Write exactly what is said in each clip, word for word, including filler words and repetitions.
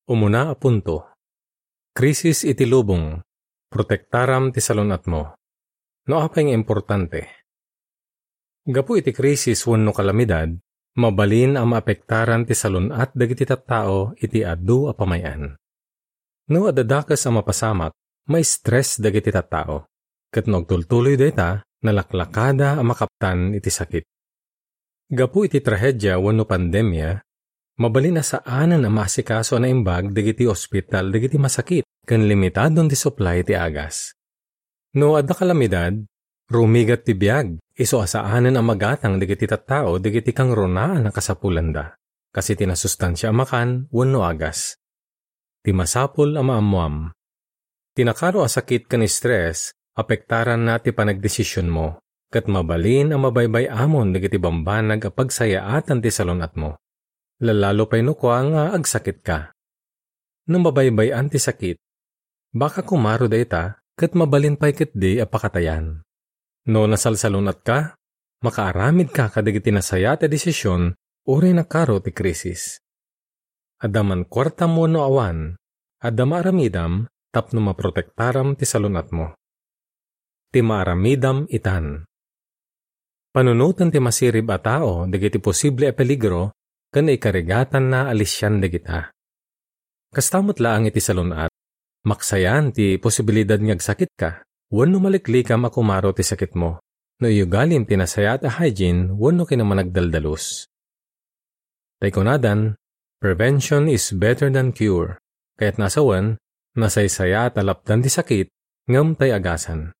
Umuna a punto. Krisis iti lubong. Protektaram ti salun-atmo. No apay nga importante? Gapu iti krisis wenno kalamidad, mabalin a maapektaran ti salun-at dagiti tattao iti adu a pamay-an. No adda dakes a mapasamak, ma-stress dagiti tattao. Ket no agtultuloy dayta, nalaklakada a makaptan iti sakit. Gapu iti trahedia wenno pandemia, mabalin a saanen a maasikaso a naimbag dagiti ospital dagiti masakit ken limitadon ti supply ti agas. No adda kalamidad, rumigat ti biag, isu a saanen a magatang dagiti tattao dagiti kangrunaan a kasapulanda, kas iti nasustansia a makan wenno agas. Ti masapul a maammoam. Ti nakaro a sakit ken stress, apektaranna ti panagdesisionmo, ket mabalin a mabaybay-amon dagiti bambanag a pagsayaatan ti salun-atmo. Lallalo pay no kua nga agsakitka. No mabaybay-an ti sakit, baka kumaro dayta ket mabalin pay ketdi a pakatayan. No nasalsalun-atka, makaaramidka kadagiti nasayaat a desision uray nakaro ti krisis. Adda man kuartam wenno awan, adda maaramidam tapno maprotektaram ti salun-atmo. Ti maaramidam itan. Panunoten ti masirib a tao dagiti posible a peligro ken ikarigatanna a lisian dagita. Kasta met laeng iti salun-at, maksayan ti posibilidad nga agsakitka wenno maliklikam a kumaro ti sakitmo no iyugalim ti nasayaat a hygiene wenno kinamanagdaldalus. Tay kunadan, "Prevention is better than cure." Kayatna a sawen, nasaysayaat a lapdan ti sakit ngem tay agasan.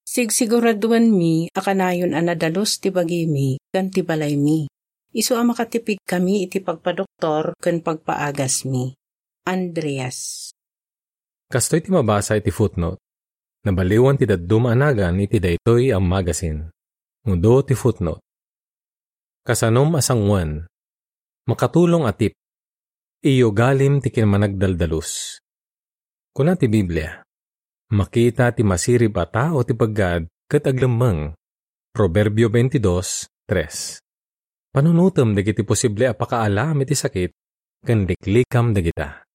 Sigsiguraduanmi a kanayon a nadalus ti bagimi ken ti balaymi. Isu a makatipigkami iti pagpadoktor ken pagpaagasmi. Andreas. Kastoy ti mabasa iti footnote. Nabaliwan ti dadduma a nagan iti daytoy a magazine. Ngudo ti footnote. Kasanom a sangoen, makatulong a tip, iyugalim ti kinamanagdaldalus. Kuna ti Biblia, "Makita ti masirib a tao ti peggad ket aglemmeng." Proverbio twenty-two tres. Panunotem dagiti posible a pakaalam iti sakit ken liklikam dagita.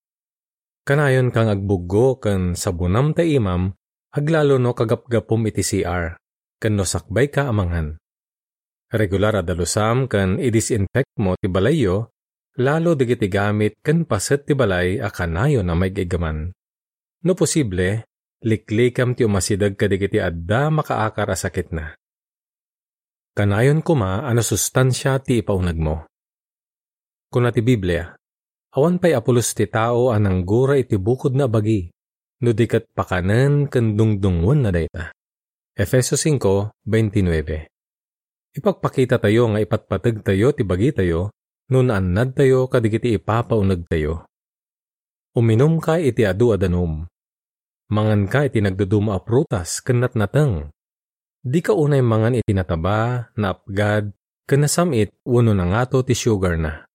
Kanayonka nga agbuggo ken sabonam ta imam, aglalo no kagapgapum iti C R ken no sakbayka a mangan. Regular a dalusam ken idisinfectmo ti balayyo, lalo dagiti gamit ken paset ti balay a kanayon a maig-iggaman. No posible, liklikam ti umasideg kadagiti adda makaakar a sakitna. Kanayon koma a nasustansia ti ipaunegmo. Kuna ti Biblia, "Awan pay a pulos ti tao a nanggura iti bukodna a bagi, no di ket pakanen ken dungdungngoenna dayta." Efeso cinco veintinueve. Ipakpakitatayo nga ipatpategtayo ti bagitayo no naannadtayo kadagiti ipapaunegtayo. Uminumka iti adu a danum. Manganka iti nagduduma a prutas ken natnateng. Dika unay mangan iti nataba, naapgad, ken nasam-it wenno nangato ti sugarna.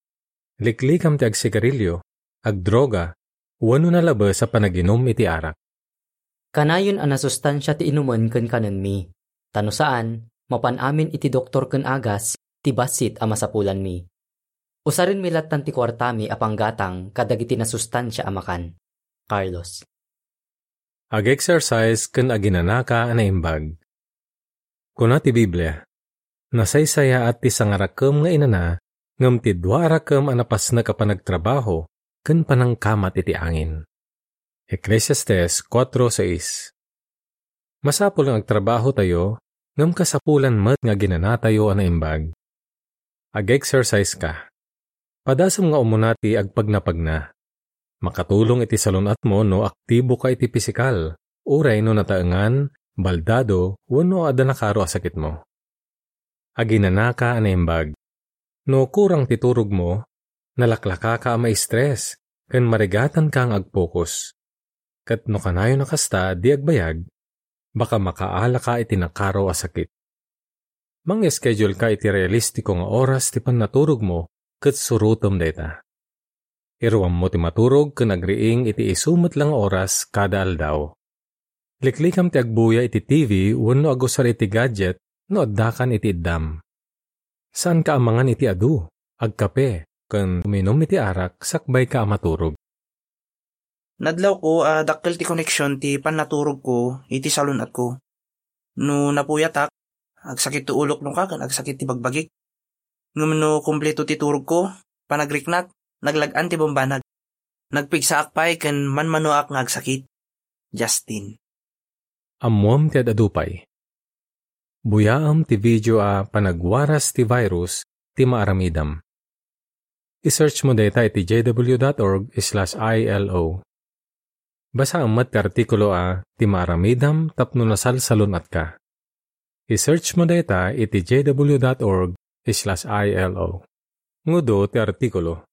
Liklikam ti agsigarilio, agdroga, wenno nalabes a panaginum iti arak. Kanayon a nasustansia ti inumen ken kanenmi, ta no saan, mapan amin iti doktor ken agas ti bassit a masapulanmi. Usarenmi lattan ti kuartami a panggatang kadagiti nasustansia a makan. Carlos. Ag-exercise ken aginanaka a naimbag. Kuna ti Biblia, "Nasaysayaat ti sangarakem nga inana, ngem ti dua a rakem a napasnek a panagtrabaho ken panangkamat iti angin." Eclesiastes kuatro sais. Masapul nga agtrabahotayo, ngem kasapulan met nga aginanatayo a naimbag. Ag-exercise ka. Padasem nga umuna ti agpagnapagna. Makatulong iti salun-atmo no aktibo ka iti pisikal, uray no nataengan, baldado, wenno adda nakaro a sakitmo. Aginanaka a naimbag. No kurang ti turogmo, nalaklakaka a ma-stress ken marigatanka nga agpokus. Ket no kanayon a kasta, di agbayag, baka makaalaka iti nakaro a sakit. Mang-schedule ka iti realistiko nga oras ti pannaturogmo ket surotem dayta. Iruammo ti maturog ken agriing iti isu met la nga oras kada aldaw. Liklikam ti agbuya iti T V wenno agusar iti gadget no addakan iti iddam. Saanka a mangan iti adu, agkape, ken uminum iti arak sakbayka a maturog. Nadlawko a dakkel ti connection ti pannaturogko iti salun-atko. No napuyatak, agsakit ti ulok no kakan agsakit ti bagbagik. Ngem no kumpleto ti turogko, panagriknak, naglag-an ti bambanag. Nagpigsaak pay ken manmanoak nga agsakit. Justin. Ammoam ti ad-adu pay. Buyaam ti video a panagwaras ti virus ti maaramidam. I-search mo dayta iti J W dot org slash I L O. Basaam met ti artikulo a ti maaramidam tapno nasalsalun-atka. I-search mo dayta iti J W dot org slash I L O. Ngudo ti artikulo.